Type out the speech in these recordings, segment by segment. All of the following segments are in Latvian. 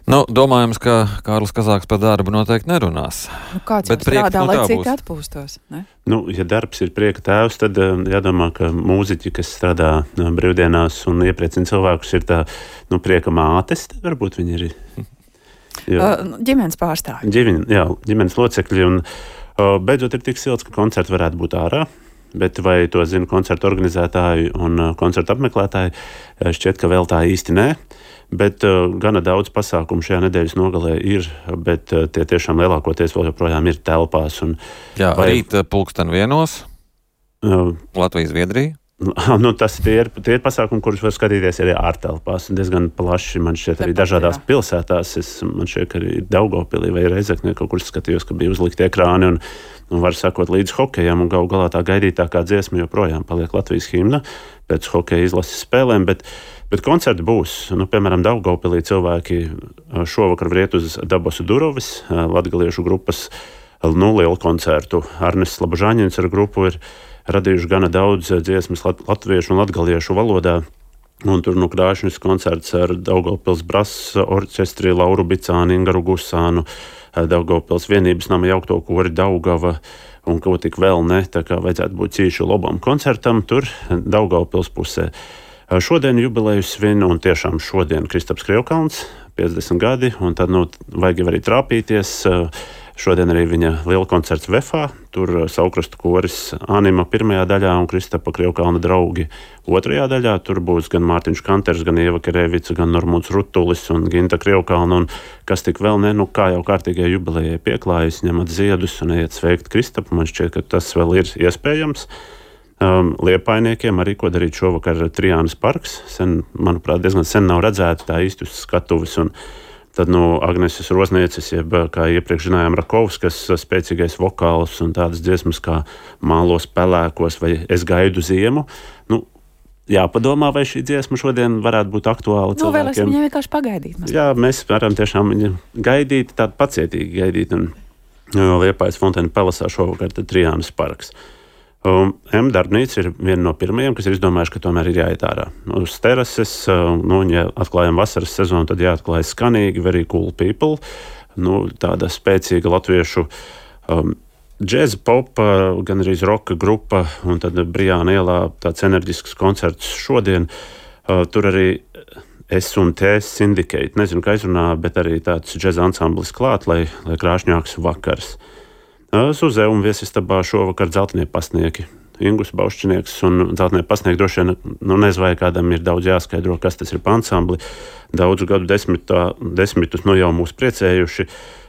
Nu, domājams, ka Kārlis Kazāks par darbu noteikti nerunās. Nu, kāds jau strādā, lai citi atpūstos, ne? Nu, ja darbs ir prieka tēvs, tad jādomā, ka mūziķi, kas strādā brīvdienās un iepriecina cilvēkus, ir tā, prieka mātes, varbūt viņi ir. Ģimenes pārstāvji. Ģimenes locekļi, un beidzot ir tik silts, ka koncerti varētu būt ārā. Bet vai to zina koncertu organizētāji un koncertu apmeklētāji? Šķiet, ka vēl tā īsti nē. Bet gana daudz pasākumu šajā nedēļas nogalē ir, bet tie tiešām lielākoties vēl joprojām ir telpās. Jā, rīt 1:00 Latvija-Zviedrija. Tie ir pasākumi, kurus var skatīties arī ārtelpās. Diezgan plaši, man šķiet, arī dažādās pilsētās. Man šķiet, ka arī Daugavpilī vai Reizeknē kaut kur skatījos, ka bija uzlikti ekrāni un var sekot līdz hokejam. Un galu galā tā gaidītākā dziesma joprojām paliek Latvijas himna pēc hokeja izlases spēlēm. Bet koncerti būs. Piemēram, Daugavpilī cilvēki šovakar var iet uz Dabasu Durovis, latgaliešu grupas lielu koncertu. Arnests Labužāņins ar grupu ir radījuši gana daudz dziesmas latviešu un latgaliešu valodā. Un tur krāšņs koncerts ar Daugavpils brass orķestri, Lauru Bicāni, Ingaru Gusānu, Daugavpils vienības nama jaukto kori Daugava un ko tik vēl ne. Tā kā vajadzētu būt cīšu labam koncertam tur Daugavpils pusē. Šodien jubileju svin, un tiešām šodien Kristaps Krievkalns, 50 gadi, un tad vajag arī trāpīties. Šodien arī viņa liela koncerts Vefā, tur Saukrastu koris Anima pirmajā daļā un Kristapa Krievkalna draugi otrajā daļā. Tur būs gan Mārtiņš Kanters, gan Ieva Kerevica, gan Normūns Rutulis un Ginta Krievkalna, un kas tik vēl ne, kā jau kārtīgai jubilejai pieklājas, ņemat ziedus un ejiet sveikt Kristapu. Man šķiet, ka tas vēl ir iespējams. Liepainiekiem arī, ko darīt šovakar Trijānas parks. Manuprāt, diezgan sen nav redzēta tā īsti uz skatuves, un tad Agneses Roznieces, jeb kā iepriekš zinājām Rakovskas spēcīgais vokāls un tādas dziesmas kā Mālos pelēkos vai Es gaidu ziemu. Jāpadomā, vai šī dziesma šodien varētu būt aktuāla cilvēkiem. Vēlēsim viņam vienkārši pagaidīt. Jā, mēs varam tiešām viņu gaidīt, tādu pacietīgi gaidīt. Un Liepājas Fontēna Pelasā šovakar tad Trijānas parks. Darbnīca ir viena no pirmajiem, kas ir izdomājuši, ka tomēr ir jāiet ārā. Uz terases, ja atklājam vasaras sezonu, tad jāatklāj skanīgi, very cool people. Tāda spēcīga latviešu džēza popa, gan arī roka grupa, un tad Brijāna ielā tāds enerģisks koncerts šodien. Tur arī S&T Syndicate, nezinu, kā izrunā, bet arī tāds džēza ansamblis klāt, lai krāšņāks vakars. Suzē un viesistabā šovakar Dzeltenie pasnieki. Ingus Baušķinieks un Dzeltenie pasnieki droši vien, nezinu, vai kādam ir daudz jāskaidro, kas tas ir pa ansambli. Daudzu gadu desmitus jau mūs priecējuši.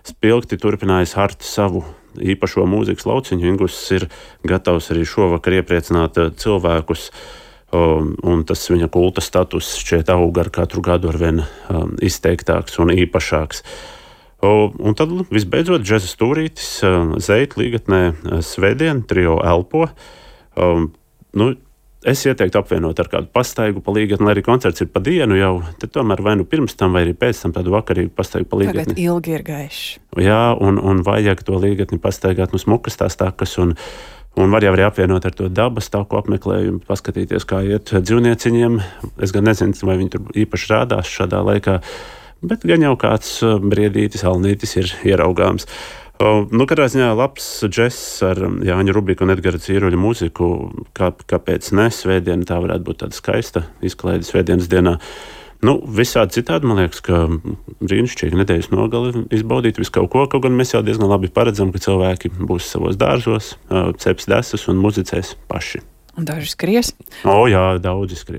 Spilgti turpinājis hart savu īpašo mūzikas lauciņu. Ingus ir gatavs arī šovakar iepriecināt cilvēkus, un tas viņa kulta status šķiet aug ar katru gadu arvien izteiktāks un īpašāks. Un tad visbeidzot džeza stūrītis Zeitu līgatnē svētdien, trio Elpo. Es ieteiktu apvienot ar kādu pastaigu pa līgatni, lai arī koncerts ir pa dienu jau, tad tomēr vai pirms tam vai arī pēc tam tādu vakarīgu pastaigu pa līgatni. Tagad ilgi ir gaišs. Jā, un vajag to līgatni pastaigāt smukas tās takas, un var jau arī apvienot ar to dabas taku apmeklējumu, paskatīties, kā iet dzīvnieciņiem. Es gan nezinu, vai viņi tur īpaši rādās šādā laikā, bet gan jau kāds briedītis, alnītis ir ieraugāms. Katrā ziņā labs džess ar Jāņa Rubiku un Edgara Cīruļa mūziku, kāpēc ne, svētdiena tā varētu būt tāda skaista izklaide svētdienas dienā. Visādi citādi, man liekas, ka brīnišķīgi nedēļas nogali izbaudīt visu kaut ko, kaut gan mēs jau diezgan labi paredzam, ka cilvēki būs savos dārzos, ceps desas un muzicēs paši. Un daži skries? Jā, daudzi skries.